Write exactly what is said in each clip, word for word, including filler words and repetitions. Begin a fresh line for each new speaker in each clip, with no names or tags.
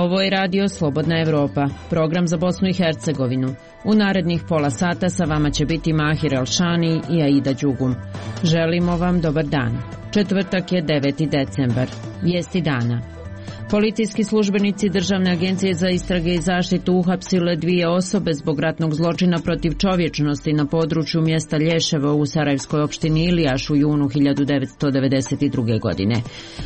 Ovo je radio Slobodna Evropa, program za Bosnu i Hercegovinu. U narednih pola sata sa vama će biti Mahir Elšani i Aida Đugum. Želimo vam dobar dan. Četvrtak je deveti decembar. Vijesti dana. Policijski službenici Državne agencije za istrage i zaštitu uhapsile dvije osobe zbog ratnog zločina protiv čovječnosti na području mjesta Lješevo u Sarajevskoj opštini Ilijaš u junu hiljadu devetsto devedeset druge. godine.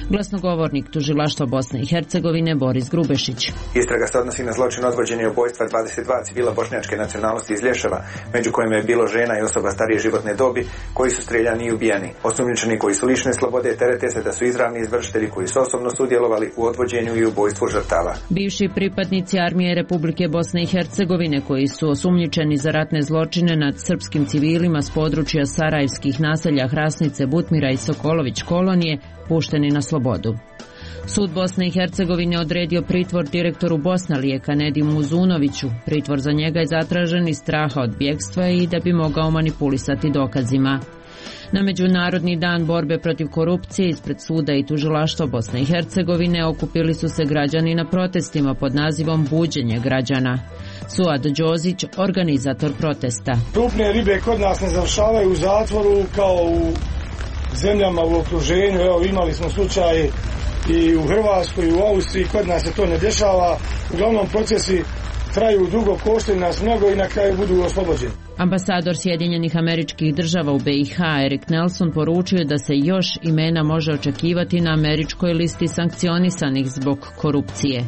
Glasnogovornik Tužilaštva Bosne i Hercegovine Boris Grubešić.
Istraga se odnosi na zločin odvođenja i ubojstva dvadeset dva civila bošnjačke nacionalnosti iz Lješeva, među kojima je bilo žena i osoba starije životne dobi, koji su streljani i ubijeni. Osumnjičeni koji su lišene slobode terete se da su izravni izvršitelji koji su osobno sudjelovali u odvođenju i ubojstvu žrtava.
Bivši pripadnici armije Republike Bosne i Hercegovine koji su osumnjičeni za ratne zločine nad srpskim civilima s područja sarajevskih naselja Hrasnice, Butmira i Sokolović kolonije pušteni na slobodu. Sud Bosne i Hercegovine odredio pritvor direktoru Bosnalije Kanedimu Uzunoviću. Pritvor za njega je zatražen iz straha od bjegstva i da bi mogao manipulisati dokazima. Na Međunarodni dan borbe protiv korupcije ispred suda i tužilaštva Bosne i Hercegovine okupili su se građani na protestima pod nazivom Buđenje građana. Suad Đozić, organizator protesta.
Krupne ribe kod nas ne završavaju u zatvoru kao u zemljama u okruženju. Evo, imali smo slučaje i u Hrvatskoj i u Austriji, kod nas se to ne dešava. Uglavnom procesi traju dugo, koštaju nas mnogo i na kraju budu oslobođeni.
Ambasador Sjedinjenih Američkih Država u B i H Erik Nelson poručio da se još imena može očekivati na američkoj listi sankcionisanih zbog korupcije.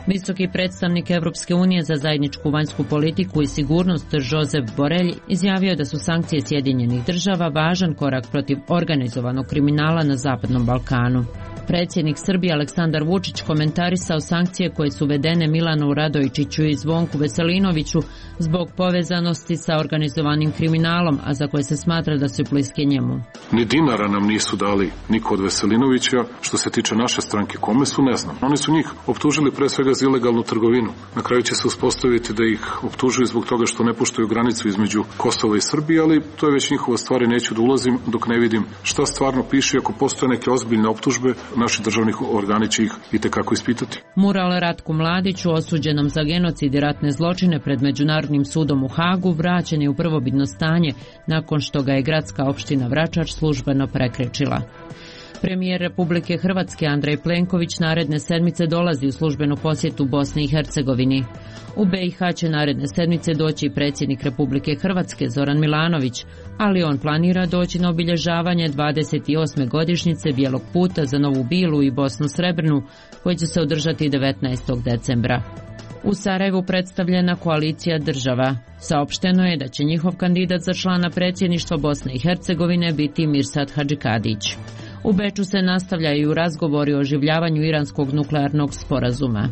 Visoki predstavnik Evropske unije za zajedničku vanjsku politiku i sigurnost Josep Borrell izjavio da su sankcije Sjedinjenih Država važan korak protiv organizovanog kriminala na Zapadnom Balkanu. Predsjednik Srbije Aleksandar Vučić komentarisao sankcije koje su uvedene Milanu Radojičiću i Zvonku Veselinoviću zbog povezanosti sa organizovanim kriminalom, a za koje se smatra da su bliske njemu.
Ni dinara nam nisu dali niko od Veselinovića. Što se tiče naše stranke, kome su, ne znam. Oni su njih optužili pre svega za ilegalnu trgovinu. Na kraju će se uspostaviti da ih optužuju zbog toga što ne poštuju granicu između Kosova i Srbije, ali to je već njihova stvar i neću da ulazim dok ne vidim šta stvarno piše. Ako postoje neke ozbiljne optužbe, naši državni organi će ih itekako ispitati.
Mural Ratku Mladiću, osuđenom za genocid i ratne zločine pred Međunarodnim sudom u Hagu, vraćen je u prvobitno stanje nakon što ga je gradska opština Vračar službeno prekrečila. Premijer Republike Hrvatske Andrej Plenković naredne sedmice dolazi u službenu posjetu Bosni i Hercegovini. U B i H će naredne sedmice doći predsjednik Republike Hrvatske Zoran Milanović, ali on planira doći na obilježavanje dvadeset osme godišnjice Bijelog puta za Novu Bilu i Bosnu Srebrnu, koji će se održati devetnaestog decembra. U Sarajevu predstavljena koalicija država. Saopšteno je da će njihov kandidat za člana predsjedništva Bosne i Hercegovine biti Mirsad Hadžikadić. U Beču se nastavljaju razgovori o oživljavanju iranskog nuklearnog sporazuma.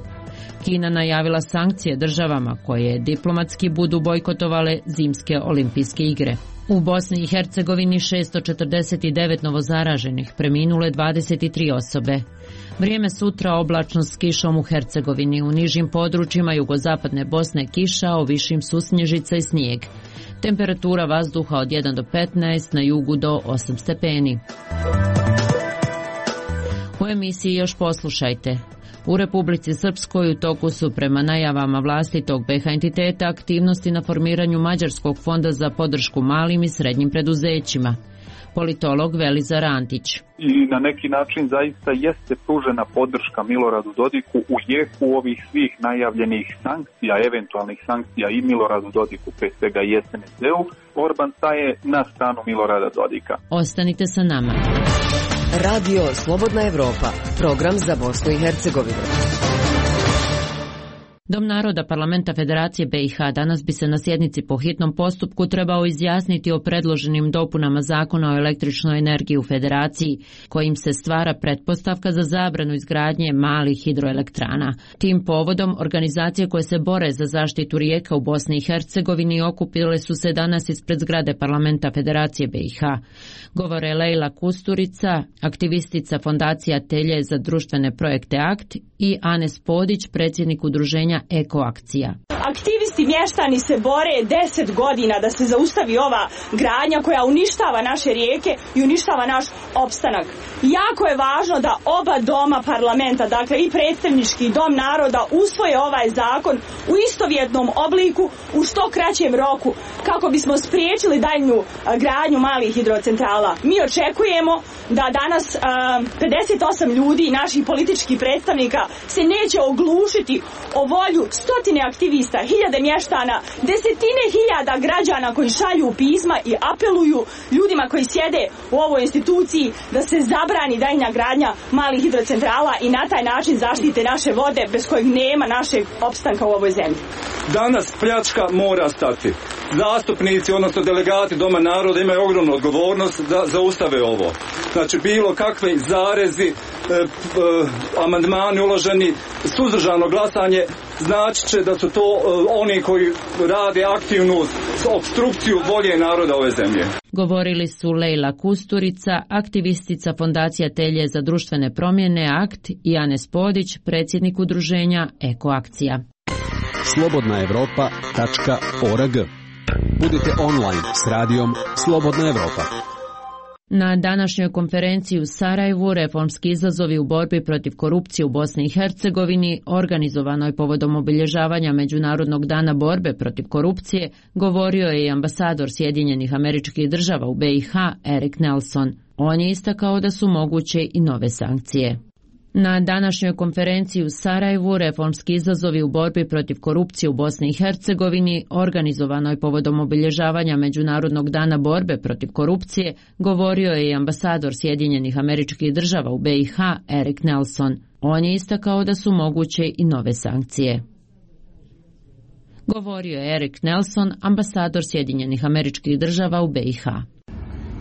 Kina najavila sankcije državama koje diplomatski budu bojkotovale zimske olimpijske igre. U Bosni i Hercegovini šesto četrdeset devet novozaraženih, preminule dvadeset tri osobe. Vrijeme sutra oblačno s kišom u Hercegovini, u nižim područjima jugozapadne Bosne kiša, a u višim su snježica i snijeg. Temperatura vazduha od jedan do petnaest, na jugu do osam stepeni. U emisiji još poslušajte. U Republici Srpskoj u toku su prema najavama vlasti tog B i H entiteta aktivnosti na formiranju Mađarskog fonda za podršku malim i srednjim preduzećima. Politolog Velizar Antić.
I na neki način zaista jeste pružena podrška Miloradu Dodiku u jeku ovih svih najavljenih sankcija, eventualnih sankcija i Miloradu Dodiku, pre svega i S N S D-u. Orban staje na stranu Milorada Dodika.
Ostanite sa nama.
Radio Slobodna Evropa, program za Bosnu i Hercegovinu.
Dom naroda Parlamenta Federacije B i H danas bi se na sjednici po hitnom postupku trebao izjasniti o predloženim dopunama zakona o električnoj energiji u Federaciji, kojim se stvara pretpostavka za zabranu izgradnje malih hidroelektrana. Tim povodom organizacije koje se bore za zaštitu rijeka u Bosni i Hercegovini okupile su se danas ispred zgrade Parlamenta Federacije B i H. Govore Lejla Kusturica, aktivistica fondacija Telje za društvene projekte Akt, i Anes Podić, predsjednik udruženja Ekoakcija.
Aktivisti mještani se bore deset godina da se zaustavi ova gradnja koja uništava naše rijeke i uništava naš opstanak. Jako je važno da oba doma parlamenta, dakle i predstavnički dom naroda, usvoje ovaj zakon u istovjetnom obliku u što kraćem roku kako bismo spriječili daljnju gradnju malih hidrocentrala. Mi očekujemo da danas pedeset osam ljudi, naših političkih predstavnika, se neće oglušiti o volju stotine aktivista, hiljade mještana, desetine hiljada građana koji šalju pisma i apeluju ljudima koji sjede u ovoj instituciji da se zabrani daljnja gradnja malih hidrocentrala i na taj način zaštite naše vode bez kojeg nema našeg opstanka u ovoj zemlji.
Danas pljačka mora stati. Zastupnici, odnosno delegati Doma naroda imaju ogromnu odgovornost da zaustave ovo. Znači bilo kakve zarezi, e, e, amandmani uloženi, suzdržano glasanje znači će da su to e, oni koji rade aktivnu opstrukciju volje naroda ove zemlje.
Govorili su Lejla Kusturica, aktivistica Fondacija Telje za društvene promjene Akt i Anes Podić, predsjednik udruženja Ekoakcija.
slobodna evropa tačka org. Budite online s radijom Slobodna Evropa.
Na današnjoj konferenciji u Sarajevu reformski izazovi u borbi protiv korupcije u Bosni i Hercegovini, organizovanoj povodom obilježavanja Međunarodnog dana borbe protiv korupcije, govorio je i ambasador Sjedinjenih Američkih Država u B i H Erik Nelson. On je istakao da su moguće i nove sankcije. Na današnjoj konferenciji u Sarajevu reformski izazovi u borbi protiv korupcije u Bosni i Hercegovini, organizovanoj povodom obilježavanja Međunarodnog dana borbe protiv korupcije, govorio je i ambasador Sjedinjenih Američkih Država u B i H Erik Nelson. On je istakao da su moguće i nove sankcije. Govorio je Erik Nelson, ambasador Sjedinjenih Američkih Država u B i H.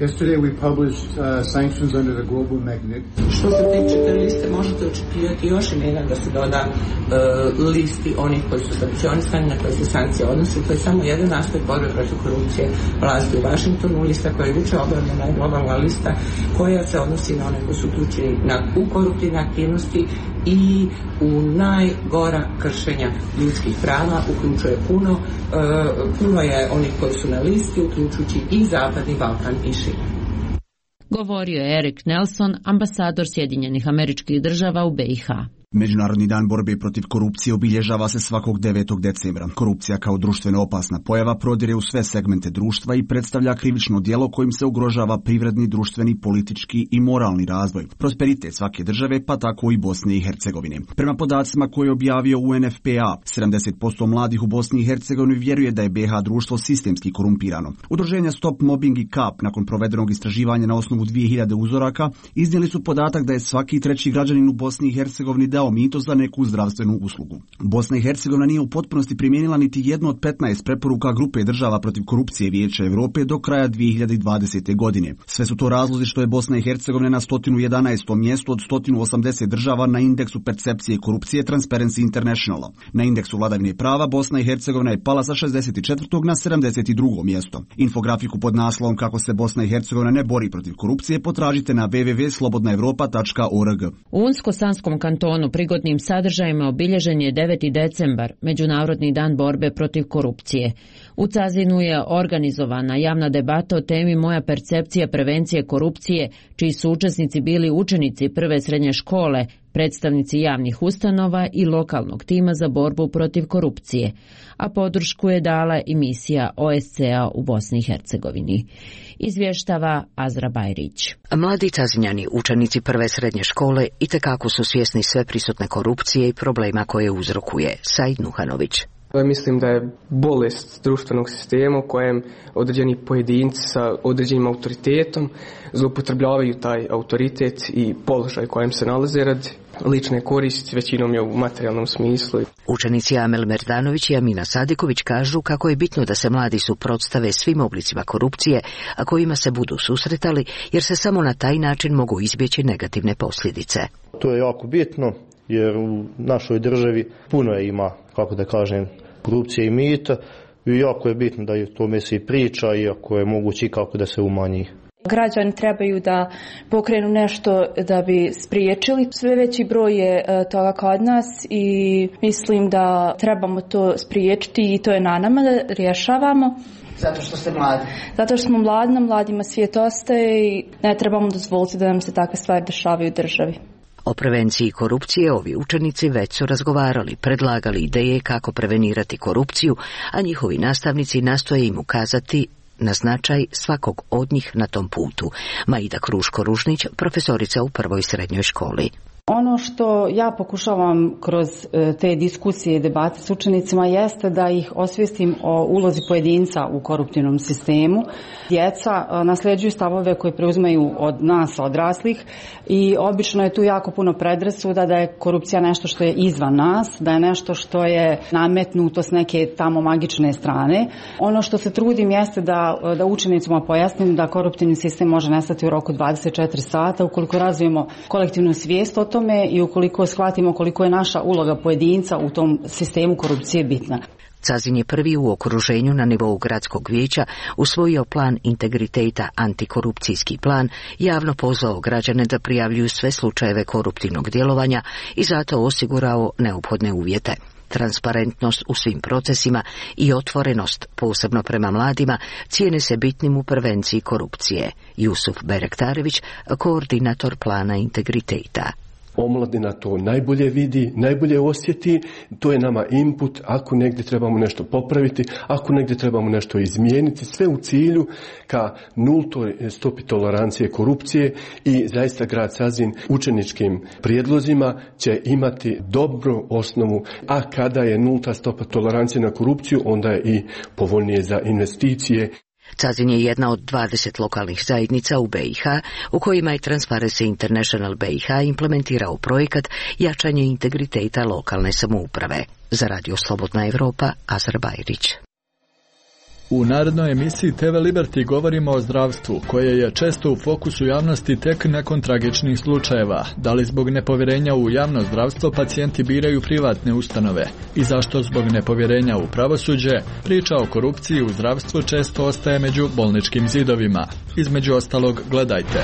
Yesterday we published uh, sanctions under the global magnet.
Što se tiče te liste, možete očekivati još imena da se doda uh, listi onih koji su sankcionisani, na koje se sankcije odnose. To je samo jedan aspekt borbe protiv korupcije vlasti u Vašingtonu. Lista koja je juče objavljena je globalna lista koja se odnosi na one koji su uključeni na, u koruptivne aktivnosti i u najgora kršenja ljudskih prava, uključuje puno, uh, puno je onih koji su na listi, uključujući i Zapadni Balkan i šire.
Govorio je Erik Nelson, ambasador Sjedinjenih Američkih Država u B i H.
Međunarodni dan borbe protiv korupcije obilježava se svakog devetog decembra. Korupcija kao društveno opasna pojava prodire u sve segmente društva i predstavlja krivično djelo kojim se ugrožava privredni, društveni, politički i moralni razvoj, prosperitet svake države, pa tako i Bosne i Hercegovine. Prema podacima koje je objavio U N F P A, sedamdeset posto mladih u Bosni i Hercegovini vjeruje da je B H društvo sistemski korumpirano. Udruženja Stop Mobbing i K A P nakon provedenog istraživanja na osnovu dvije hiljade uzoraka iznijeli su podatak da je svaki treći građanin u Bosni i Hercegovini dao mito za neku zdravstvenu uslugu. Bosna i Hercegovina nije u potpunosti primijenila niti jednu od petnaest preporuka grupe država protiv korupcije Vijeća Europe do kraja dvije hiljade dvadesete. godine. Sve su to razlozi što je Bosna i Hercegovina na sto jedanaestom mjestu od sto osamdeset država na indeksu percepcije korupcije Transparency Internationala. Na indeksu vladavine prava Bosna i Hercegovina je pala sa šezdeset četvrtog na sedamdeset drugo mjesto. Infografiku pod naslovom Kako se Bosna i Hercegovina ne bori protiv korupcije potražite na w w w tačka slobodna evropa tačka org.
U Unsko-Sanskom kantonu prigodnim sadržajima obilježen je deveti decembar, Međunarodni dan borbe protiv korupcije. U Cazinu je organizovana javna debata o temi Moja percepcija prevencije korupcije, čiji su učesnici bili učenici prve srednje škole, predstavnici javnih ustanova i lokalnog tima za borbu protiv korupcije, a podršku je dala i misija O S C A u Bosni i Hercegovini. Izvještava Azra Bajrić.
Mladi Cazinjani, učenici prve srednje škole, itekako su svjesni sve prisutne korupcije i problema koje uzrokuje. Said Nuhanović.
Mislim da je bolest društvenog sistema u kojem određeni pojedinci sa određenim autoritetom zloupotrebljavaju taj autoritet i položaj kojem se nalaze radi lične koristi, većinom je u materijalnom smislu.
Učenici Amel Merdanović i Amina Sadiković kažu kako je bitno da se mladi suprotstave svim oblicima korupcije, a kojima se budu susretali, jer se samo na taj način mogu izbjeći negativne posljedice.
To je jako bitno, jer u našoj državi puno je ima, kako da kažem, korupcije i mita i jako je bitno da je tome se i priča, iako je moguće kako da se umanji.
Građani trebaju da pokrenu nešto da bi spriječili. Sve veći broj je toga kod nas i mislim da trebamo to spriječiti i to je na nama da rješavamo.
Zato što ste mladi?
Zato što smo mladi, na mladima svijet ostaje i ne trebamo dozvoliti da nam se takve stvari dešavaju u državi.
O prevenciji korupcije ovi učenici već su razgovarali, predlagali ideje kako prevenirati korupciju, a njihovi nastavnici nastoje im ukazati na značaj svakog od njih na tom putu. Maida Kruško-Ružnić, profesorica u prvoj srednjoj školi.
Ono što ja pokušavam kroz te diskusije i debate s učenicima jeste da ih osvijestim o ulozi pojedinca u koruptivnom sistemu. Djeca nasljeđuju stavove koje preuzimaju od nas, odraslih, i obično je tu jako puno predrasuda da je korupcija nešto što je izvan nas, da je nešto što je nametnuto s neke tamo magične strane. Ono što se trudim jeste da, da učenicima pojasnim da koruptivni sistem može nestati u roku dvadeset četiri sata ukoliko razvijemo kolektivnu svijest o tome i ukoliko shvatimo koliko je naša uloga pojedinca u tom sistemu korupcije bitna.
Cazin je prvi u okruženju na nivou gradskog vijeća usvojio plan integriteta, antikorupcijski plan, javno pozvao građane da prijavljuju sve slučajeve koruptivnog djelovanja i zato osigurao neophodne uvjete. Transparentnost u svim procesima i otvorenost, posebno prema mladima, cijene se bitnim u prevenciji korupcije. Jusuf Berektarević, koordinator plana integriteta.
Omladina to najbolje vidi, najbolje osjeti, to je nama input ako negdje trebamo nešto popraviti, ako negdje trebamo nešto izmijeniti, sve u cilju ka nultoj stopi tolerancije korupcije i zaista grad Sazin učeničkim prijedlozima će imati dobru osnovu, a kada je nulta stopa tolerancije na korupciju, onda je i povoljnije za investicije.
Cazin je jedna od dvadeset lokalnih zajednica u B i H u kojima je Transparency International B i H implementirao projekat jačanje integriteta lokalne samouprave. Za Radio Slobodna Evropa, Azar Bajrić.
U narednoj emisiji T V Liberty govorimo o zdravstvu, koje je često u fokusu javnosti tek nakon tragičnih slučajeva. Da li zbog nepovjerenja u javno zdravstvo pacijenti biraju privatne ustanove i zašto zbog nepovjerenja u pravosuđe priča o korupciji u zdravstvu često ostaje među bolničkim zidovima. Između ostalog, gledajte.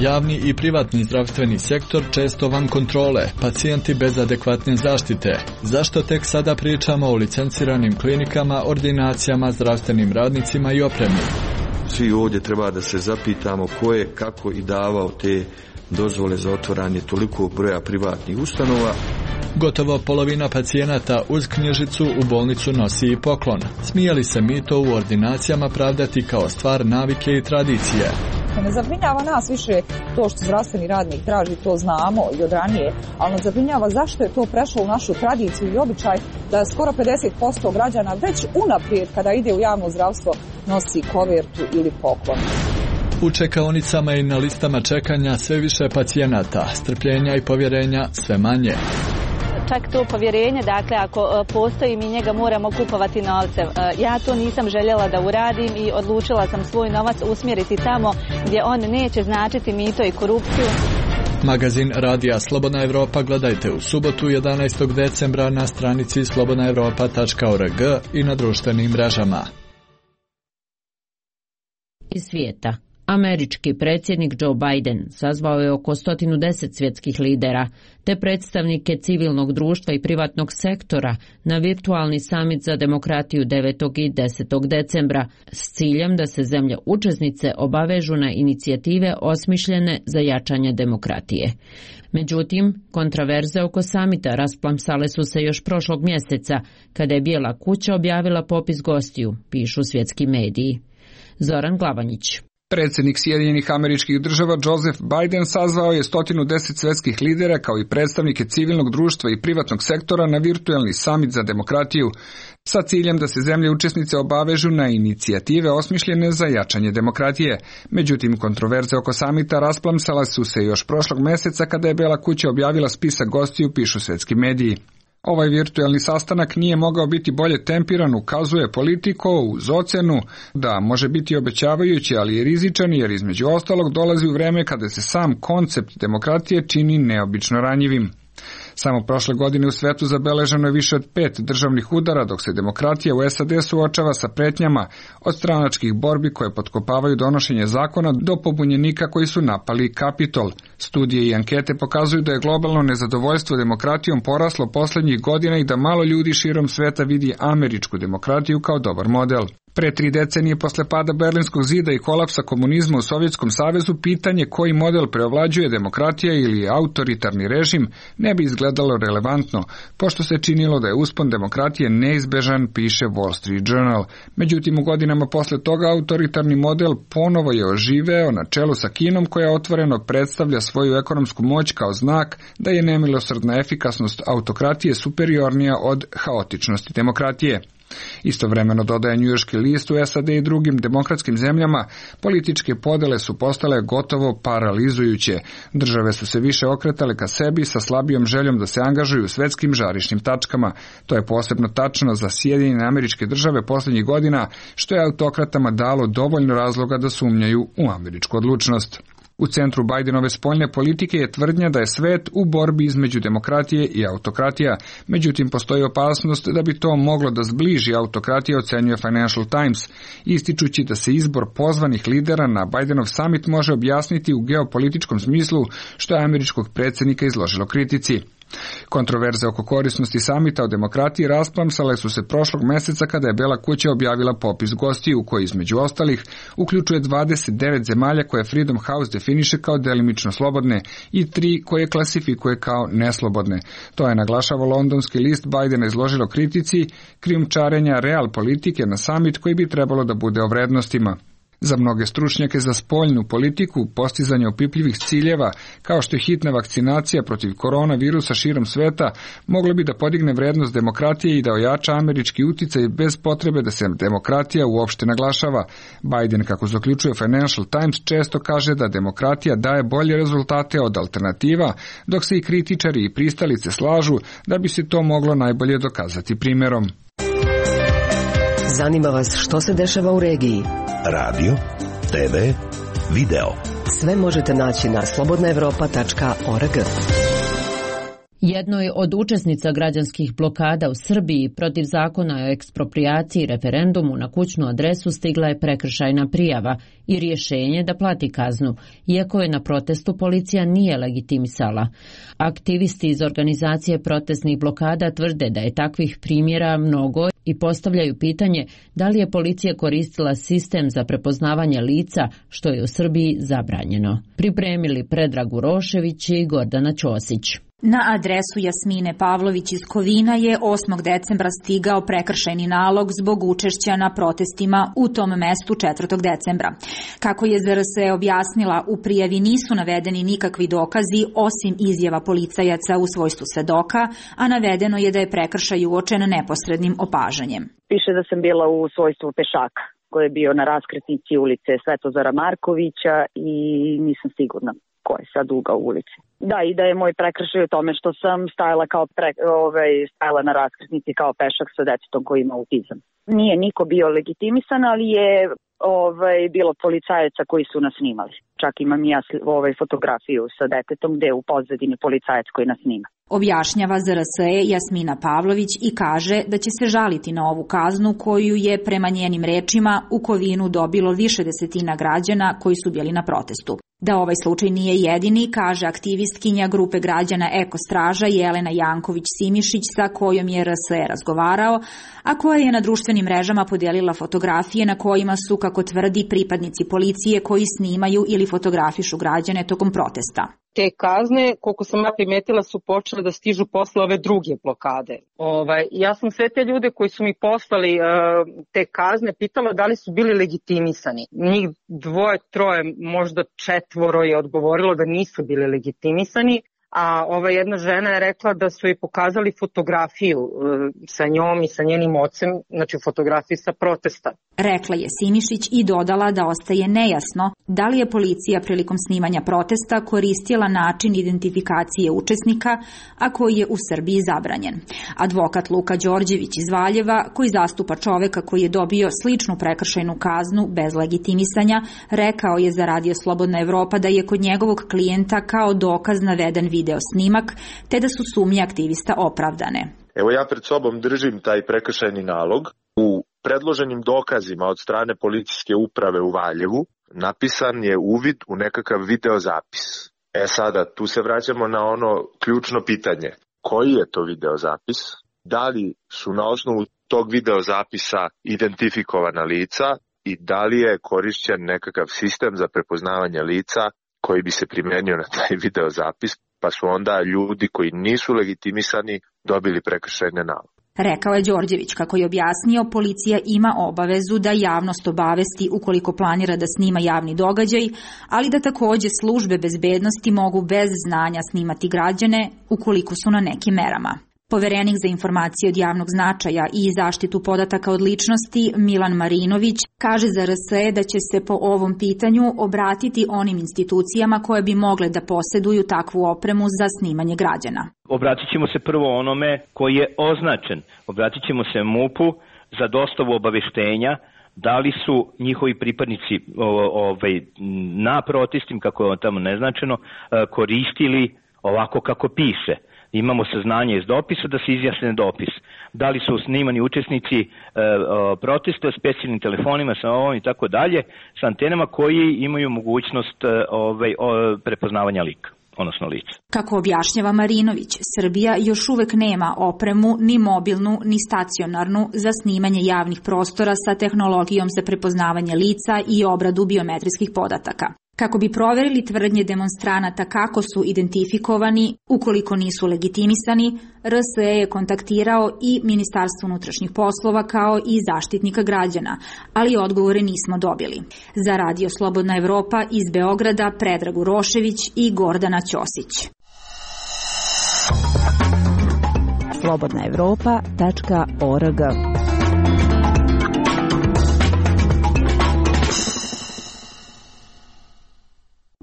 Javni i privatni zdravstveni sektor često van kontrole, pacijenti bez adekvatne zaštite. Zašto tek sada pričamo o licenciranim klinikama, ordinacijama, zdravstvenim radnicima i opremi?
Svi ovdje treba da se zapitamo ko je, kako i davao te dozvole za otvaranje toliko broja privatnih ustanova.
Gotovo polovina pacijenata uz knjižicu u bolnicu nosi i poklon. Smije li se mi to u ordinacijama pravdati kao stvar navike i tradicije?
Ne zabrinjava nas više to što zdravstveni radnik traži, to znamo i od ranije, ali nas zabrinjava zašto je to prešlo u našu tradiciju i običaj da skoro pedeset posto građana već unaprijed kada ide u javno zdravstvo nosi kovertu ili poklon.
U čekaonicama i na listama čekanja sve više pacijenata, strpljenja i povjerenja sve manje.
Čak to povjerenje, dakle, ako postoji, mi njega moramo kupovati novcem. Ja to nisam željela da uradim i odlučila sam svoj novac usmjeriti tamo gdje on neće značiti mito i korupciju.
Magazin Radija Slobodna Evropa gledajte u subotu jedanaestog decembra na stranici slobodna evropa tačka org i na društvenim mrežama.
Iz svijeta. Američki predsjednik Joe Biden sazvao je oko sto deset svjetskih lidera, te predstavnike civilnog društva i privatnog sektora na virtualni samit za demokratiju devetog i desetog decembra s ciljem da se zemlje učesnice obavežu na inicijative osmišljene za jačanje demokratije. Međutim, kontraverze oko samita rasplamsale su se još prošlog mjeseca, kada je Bijela kuća objavila popis gostiju, pišu svjetski mediji. Zoran Glavanjić.
Predsjednik Sjedinjenih Američkih Država Joseph Biden sazvao je sto deset svjetskih lidera kao i predstavnike civilnog društva i privatnog sektora na virtualni samit za demokratiju sa ciljem da se zemlje učesnice obavežu na inicijative osmišljene za jačanje demokratije. Međutim, kontroverze oko samita rasplamsala su se još prošlog mjeseca kada je Bijela kuća objavila spisak gostiju, pišu svjetski mediji. Ovaj virtualni sastanak nije mogao biti bolje tempiran, ukazuje Politico uz ocjenu da može biti obećavajući, ali i rizičan, jer između ostalog dolazi u vreme kada se sam koncept demokratije čini neobično ranjivim. Samo prošle godine u svetu zabeleženo je više od pet državnih udara, dok se demokratija u S A D suočava sa pretnjama od stranačkih borbi koje potkopavaju donošenje zakona do pobunjenika koji su napali Kapitol. Studije i ankete pokazuju da je globalno nezadovoljstvo demokratijom poraslo posljednjih godina i da malo ljudi širom sveta vidi američku demokratiju kao dobar model. Pre tri decenije posle pada Berlinskog zida i kolapsa komunizma u Sovjetskom savezu, pitanje koji model preovlađuje, demokratija ili autoritarni režim, ne bi izgledalo relevantno, pošto se činilo da je uspon demokratije neizbežan, piše Wall Street Journal. Međutim, u godinama posle toga autoritarni model ponovo je oživeo na čelu sa Kinom, koja otvoreno predstavlja svoju ekonomsku moć kao znak da je nemilosrdna efikasnost autokratije superiornija od haotičnosti demokratije. Istovremeno, dodaje njujorški list, u S A D i drugim demokratskim zemljama političke podele su postale gotovo paralizujuće. Države su se više okretale ka sebi sa slabijom željom da se angažuju u svetskim žarišnim tačkama. To je posebno tačno za Sjedinjene Američke Države posljednjih godina, što je autokratama dalo dovoljno razloga da sumnjaju u američku odlučnost. U centru Bidenove spoljne politike je tvrdnja da je svet u borbi između demokratije i autokratija, međutim postoji opasnost da bi to moglo da zbliži autokratije, ocenjuje Financial Times, ističući da se izbor pozvanih lidera na Bidenov summit može objasniti u geopolitičkom smislu, što je američkog predsjednika izložilo kritici. Kontroverze oko korisnosti samita o demokratiji rasplamsale su se prošlog meseca kada je Bela kuća objavila popis gostiju koji između ostalih uključuje dvadeset devet zemalja koje Freedom House definiše kao delimično slobodne i tri koje klasifikuje kao neslobodne. To je, naglašava londonski list, Bidena izložilo kritici krijumčarenja real politike na samit koji bi trebalo da bude o vrednostima. Za mnoge stručnjake za spoljnu politiku, postizanje opipljivih ciljeva, kao što je hitna vakcinacija protiv koronavirusa širom sveta, moglo bi da podigne vrednost demokratije i da ojača američki uticaj bez potrebe da se demokratija uopšte naglašava. Biden, kako zaključuje Financial Times, često kaže da demokratija daje bolje rezultate od alternativa, dok se i kritičari i pristalice slažu da bi se to moglo najbolje dokazati primjerom.
Zanima vas što se dešava u regiji?
Radio, te ve, video.
Sve možete naći na slobodna evropa tačka org.
Jednoj od učesnica građanskih blokada u Srbiji protiv zakona o eksproprijaciji i referendumu na kućnu adresu stigla je prekršajna prijava i rješenje da plati kaznu, iako je na protestu policija nije legitimisala. Aktivisti iz organizacije protestnih blokada tvrde da je takvih primjera mnogo i postavljaju pitanje da li je policija koristila sistem za prepoznavanje lica, što je u Srbiji zabranjeno. Pripremili Predrag Urošević i Gordana Ćosić.
Na adresu Jasmine Pavlović iz Kovina je osmog decembra stigao prekršajni nalog zbog učešća na protestima u tom mestu četvrtog decembra. Kako je Z R S objasnila, u prijavi nisu navedeni nikakvi dokazi osim izjava policajaca u svojstvu svedoka, a navedeno je da je prekršaj uočen neposrednim opažanjem.
Piše da sam bila u svojstvu pešaka koji je bio na raskrsnici ulice Svetozara Markovića i nisam sigurna ko je sad ugao ulici. Da, i da je moj prekršaj u tome što sam stajala kao pre, ovaj, stajala na raskrsnici kao pešak sa detetom koji ima autizam. Nije niko bio legitimisan, ali je ovaj, bilo policajaca koji su nas snimali. Čak imam i ja ovaj, fotografiju sa detetom gde je u pozadini policajac koji nas snima.
Objašnjava Z R S E Jasmina Pavlović i kaže da će se žaliti na ovu kaznu koju je prema njenim rečima u Kovinu dobilo više desetina građana koji su bili na protestu. Da ovaj slučaj nije jedini, kaže aktivistkinja grupe građana Eko Straža Jelena Janković-Simišić, sa kojom je R S E razgovarao, a koja je na društvenim mrežama podijelila fotografije na kojima su, kako tvrdi, pripadnici policije koji snimaju ili fotografišu građane tokom protesta.
Te kazne, koliko sam ja primetila, su počele da stižu posle ove druge blokade. Ovaj, ja sam sve te ljude koji su mi poslali uh, te kazne pitala da li su bili legitimisani. Njih dvoje, troje, možda četvoro je odgovorilo da nisu bili legitimisani, a ova jedna žena je rekla da su joj pokazali fotografiju uh, sa njom i sa njenim ocem, znači fotografiju sa protesta.
Rekla je Simišić i dodala da ostaje nejasno da li je policija prilikom snimanja protesta koristila način identifikacije učesnika, a koji je u Srbiji zabranjen. Advokat Luka Đorđević iz Valjeva, koji zastupa čoveka koji je dobio sličnu prekršajnu kaznu bez legitimisanja, rekao je za Radio Slobodna Evropa da je kod njegovog klijenta kao dokaz naveden video video snimak, te da su sumnje aktivista opravdane.
Evo ja pred sobom držim taj prekršajni nalog. U predloženim dokazima od strane policijske uprave u Valjevu napisan je uvid u nekakav videozapis. E sada, tu se vraćamo na ono ključno pitanje. Koji je to videozapis? Da li su na osnovu tog videozapisa identifikovana lica i da li je korišćen nekakav sistem za prepoznavanje lica koji bi se primenio na taj videozapis, pa su onda ljudi koji nisu legitimisani dobili prekršajne naloge.
Rekao je Đorđević, kako je objasnio, policija ima obavezu da javnost obavesti ukoliko planira da snima javni događaj, ali da takođe službe bezbednosti mogu bez znanja snimati građane ukoliko su na nekim merama. Poverenik za informacije od javnog značaja i zaštitu podataka od ličnosti Milan Marinović kaže za R S E da će se po ovom pitanju obratiti onim institucijama koje bi mogle da poseduju takvu opremu za snimanje građana.
Obratit ćemo se prvo onome koji je označen. Obratit ćemo se M U P-u za dostavu obaveštenja da li su njihovi pripadnici ovaj, na protestima, kako je tamo neznačeno, koristili ovako kako piše. Imamo saznanje iz dopisa da se izjasne dopis. Da li su snimani učesnici e, o, protesta s specijalnim telefonima, sa ovom i tako dalje, sa antenama koji imaju mogućnost e, ovaj, o, prepoznavanja lika, odnosno lica.
Kako objašnjava Marinović, Srbija još uvek nema opremu ni mobilnu ni stacionarnu za snimanje javnih prostora sa tehnologijom za prepoznavanje lica i obradu biometrijskih podataka. Kako bi proverili tvrdnje demonstranata kako su identifikovani, ukoliko nisu legitimisani, R S E je kontaktirao i Ministarstvo unutrašnjih poslova kao i Zaštitnika građana, ali odgovore nismo dobili. Za Radio Slobodna Evropa iz Beograda Predrag Urošević i Gordana Ćosić.
slobodna evropa tačka org.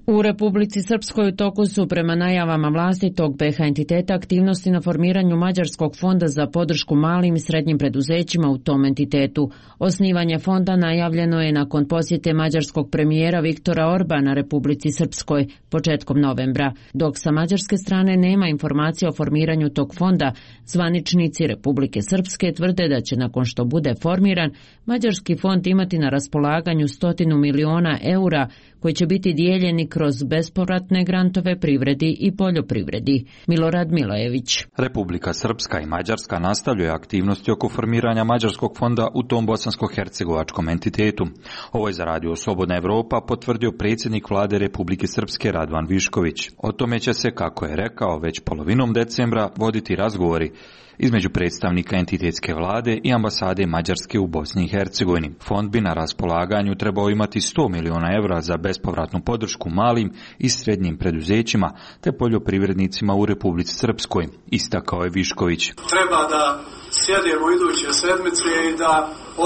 U Republici Srpskoj u toku su prema najavama vlasti tog B H entiteta aktivnosti na formiranju Mađarskog fonda za podršku malim i srednjim preduzećima u tom entitetu. Osnivanje fonda najavljeno je nakon posjete mađarskog premijera Viktora Orbana Republici Srpskoj početkom novembra. Dok sa mađarske strane nema informacija o formiranju tog fonda, zvaničnici Republike Srpske tvrde da će nakon što bude formiran, Mađarski fond imati na raspolaganju stotinu miliona eura koji će biti dijeljeni kroz bespovratne grantove privredi i poljoprivredi. Milorad Milojević.
Republika Srpska i Mađarska nastavljaju aktivnosti oko formiranja Mađarskog fonda u tom bosansko-hercegovačkom entitetu. Ovo je za Radio Slobodna Evropa potvrdio predsjednik vlade Republike Srpske Radovan Višković. O tome će se, kako je rekao, već polovinom decembra voditi razgovori između predstavnika entitetske vlade i ambasade Mađarske u Bosni i Hercegovini. Fond bi na raspolaganju trebao imati sto miliona evra za bespovratnu podršku malim i srednjim preduzećima te poljoprivrednicima u Republici Srpskoj, istakao je Višković.
Treba da sjedemo iduće sedmice i da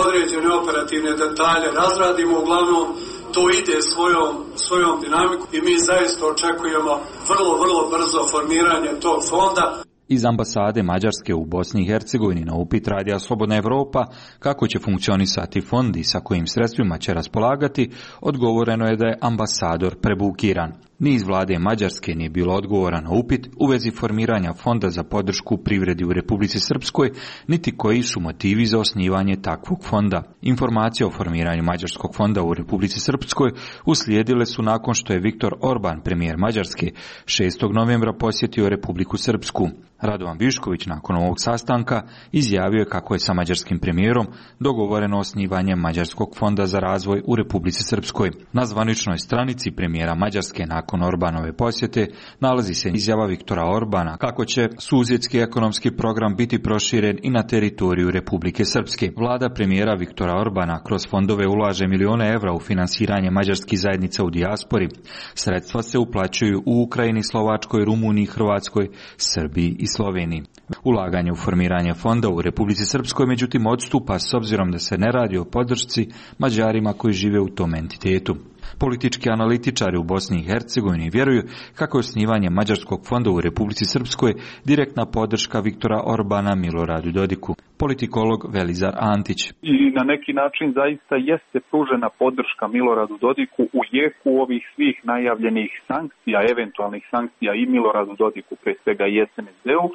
određene operativne detalje razradimo, uglavnom to ide svojom, svojom dinamikom i mi zaista očekujemo vrlo, vrlo brzo formiranje tog fonda.
Iz ambasade Mađarske u Bosni i Hercegovini na upit Radija Slobodna Evropa kako će funkcionisati fond i sa kojim sredstvima će raspolagati, odgovoreno je da je ambasador prebukiran. Ni iz vlade Mađarske nije bilo odgovora na upit u vezi formiranja fonda za podršku privredi u Republici Srpskoj, niti koji su motivi za osnivanje takvog fonda. Informacije o formiranju Mađarskog fonda u Republici Srpskoj uslijedile su nakon što je Viktor Orban, premijer Mađarske, šestog novembra posjetio Republiku Srpsku. Radovan Višković nakon ovog sastanka izjavio je kako je sa mađarskim premijerom dogovoreno osnivanje Mađarskog fonda za razvoj u Republici Srpskoj. Na zvaničnoj stranici premijera Mađarske nakon Orbanove posjete nalazi se izjava Viktora Orbana kako će susjedski ekonomski program biti proširen i na teritoriju Republike Srpske. Vlada premijera Viktora Orbana kroz fondove ulaže milione evra u finansiranje mađarskih zajednica u dijaspori. Sredstva se uplaćuju u Ukrajini, Slovačkoj, Rumuniji, Hrvatskoj, Srbiji i Sloveniji. Ulaganje u formiranje fonda u Republici Srpskoj međutim odstupa s obzirom da se ne radi o podršci Mađarima koji žive u tom entitetu. Politički analitičari u Bosni i Hercegovini vjeruju kako je osnivanje Mađarskog fonda u Republici Srpskoj direktna podrška Viktora Orbana Miloradu Dodiku. Politikolog Velizar Antić.
I na neki način zaista jeste pružena podrška Miloradu Dodiku u jeku ovih svih najavljenih sankcija, eventualnih sankcija i Miloradu Dodiku, pre svega i es en es de-u. E,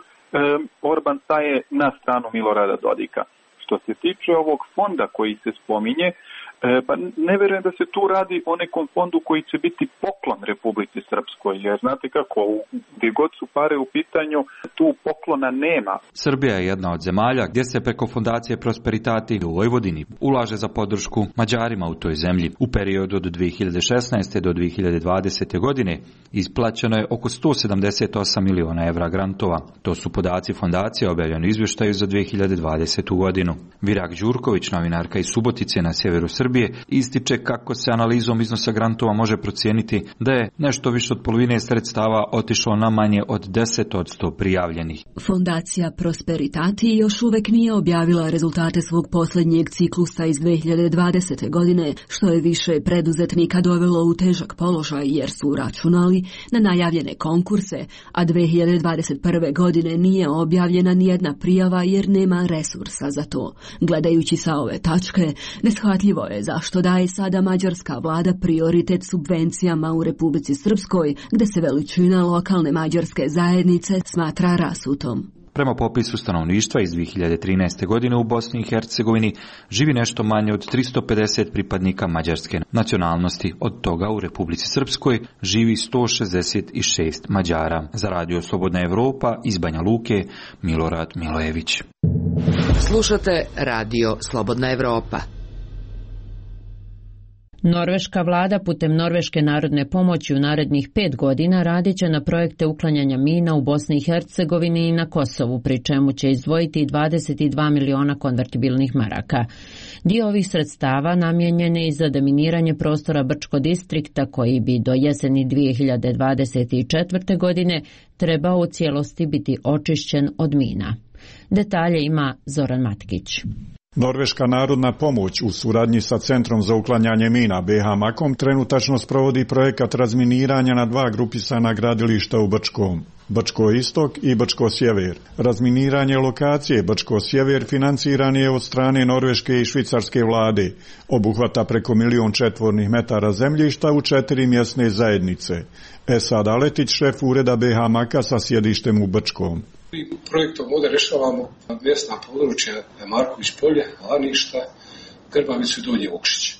Orban staje na stranu Milorada Dodika. Što se tiče ovog fonda koji se spominje, E, pa ne vjerujem da se tu radi o nekom fondu koji će biti poklon Republici Srpskoj, jer znate kako, gdje god su pare u pitanju, tu poklona nema.
Srbija je jedna od zemalja gdje se preko fondacije Prosperitati u Vojvodini ulaže za podršku Mađarima u toj zemlji. U periodu od dvije hiljade šesnaeste do dvije hiljade dvadesete. godine isplaćeno je oko sto sedamdeset osam miliona evra grantova. To su podaci fondacije objavljeni u izvještaju za dvije hiljade dvadesetu. godinu. Virak Đurković, novinarka iz Subotice na sjeveru Srbije, ističe kako se analizom iznosa grantova može procijeniti da je nešto više od polovine sredstava otišlo na manje od deset posto prijavljenih.
Fondacija Prosperitati još uvijek nije objavila rezultate svog posljednjeg ciklusa iz dvije hiljade dvadesete. godine, što je više preduzetnika dovelo u težak položaj jer su računali na najavljene konkurse, a dvije hiljade dvadeset prve. godine nije objavljena nijedna prijava jer nema resursa za to. Gledajući sa ove tačke, neshvatljivo je zašto daje sada mađarska vlada prioritet subvencijama u Republici Srpskoj, gdje se veličina lokalne mađarske zajednice smatra rasutom.
Prema popisu stanovništva iz dvije hiljade trinaeste. godine u Bosni i Hercegovini živi nešto manje od tristo pedeset pripadnika mađarske nacionalnosti. Od toga u Republici Srpskoj živi sto šezdeset šest Mađara. Za Radio Slobodna Evropa iz Banja Luke, Milorad Milojević.
Slušate Radio Slobodna Evropa.
Norveška vlada putem Norveške narodne pomoći u narednih pet godina radit će na projekte uklanjanja mina u Bosni i Hercegovini i na Kosovu, pri čemu će izdvojiti dvadeset dva miliona konvertibilnih maraka. Dio ovih sredstava namijenjen je i za deminiranje prostora Brčko distrikta koji bi do jeseni dvije hiljade dvadeset četvrte. godine trebao u cijelosti biti očišćen od mina. Detalje ima Zoran Matkić.
Norveška narodna pomoć u suradnji sa Centrom za uklanjanje mina be ha makom trenutačno sprovodi projekat razminiranja na dva grupisana gradilišta u Brčkom. Brčko istok i Brčko sjever. Razminiranje lokacije Brčko sjever financiran je od strane norveške i švicarske vlade. Obuhvata preko milion četvornih metara zemljišta u četiri mjesne zajednice. Esad Aletić, šef ureda be ha maka sa sjedištem u Brčkom.
Projektom ovdje rješavamo mjesna područja Marković polje, Laništa, Grbavicu i Donji Vukšić.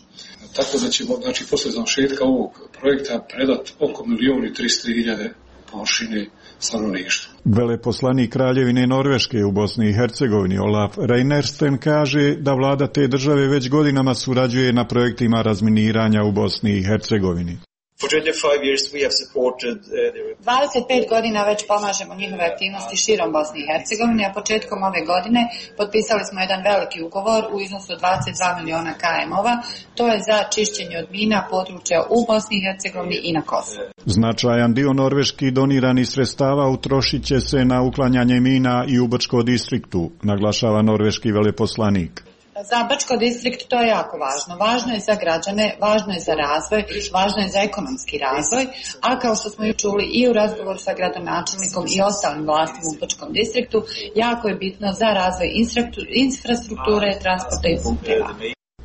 Tako da ćemo, znači, posle završetka ovog projekta predati oko milijon i tristo hiljade površine stanovništva.
Veleposlanik Kraljevine Norveške u Bosni i Hercegovini Olaf Reinersten kaže da vlada te države već godinama surađuje na projektima razminiranja u Bosni i Hercegovini.
dvadeset pet godina već pomažemo njihove aktivnosti širom Bosne i Hercegovine, a početkom ove godine potpisali smo jedan veliki ugovor u iznosu od dvadeset dva miliona km-ova. To je za čišćenje od mina područja u Bosni i Hercegovini i na Kosovu.
Značajan dio norveških doniranih sredstava utrošit će se na uklanjanje mina i u Brčko distriktu, naglašava norveški veleposlanik.
Za Brčko distrikt to je jako važno. Važno je za građane, važno je za razvoj, važno je za ekonomski razvoj, a kao što smo ju čuli i u razgovoru sa gradonačelnikom i ostalim vlastima u Brčkom distriktu, jako je bitno za razvoj infrastrukture, transporta i puteva.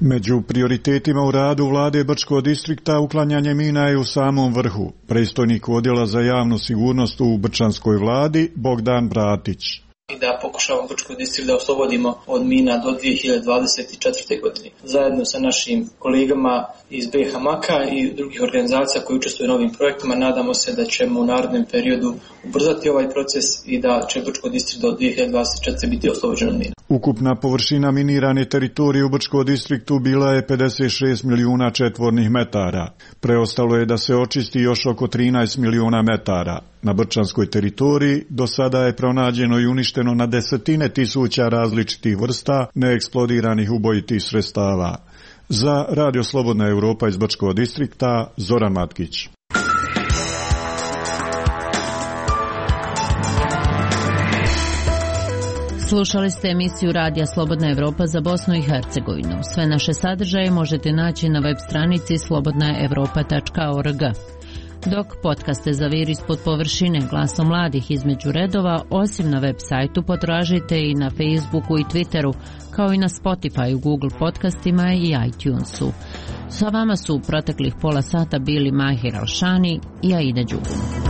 Među prioritetima u radu vlade Brčko distrikta uklanjanje mina je u samom vrhu. Predstojnik odjela za javnu sigurnost u Brčanskoj vladi Bogdan Bratić.
I da pokušavamo Brčko distrikt da oslobodimo od mina do dvije hiljade dvadeset četvrte. godine. Zajedno sa našim kolegama iz be ha maka i drugih organizacija koji učestvuju u ovim projektima, nadamo se da ćemo u narednom periodu ubrzati ovaj proces i da će Brčko distrikt do dvije hiljade dvadeset četvrte. biti oslobođen od mina.
Ukupna površina minirane teritorije u Brčko distriktu bila je pedeset šest milijuna četvornih metara. Preostalo je da se očisti još oko trinaest milijuna metara. Na brčanskoj teritoriji do sada je pronađeno i uništeno na desetine tisuća različitih vrsta neeksplodiranih ubojitih sredstava. Za Radio Slobodna Evropa iz Brčkog distrikta, Zoran Matkić.
Slušali ste emisiju Radija Slobodna Evropa za Bosnu i Hercegovinu. Sve naše sadržaje možete naći na web stranici slobodna evropa tačka org. Dok podcaste Zavir ispod površine, glasom mladih između redova, osim na web sajtu potražite i na Facebooku i Twitteru, kao i na Spotify, Google podcastima i iTunesu. Sa vama su u proteklih pola sata bili Mahir Alšani i Aida Đugum.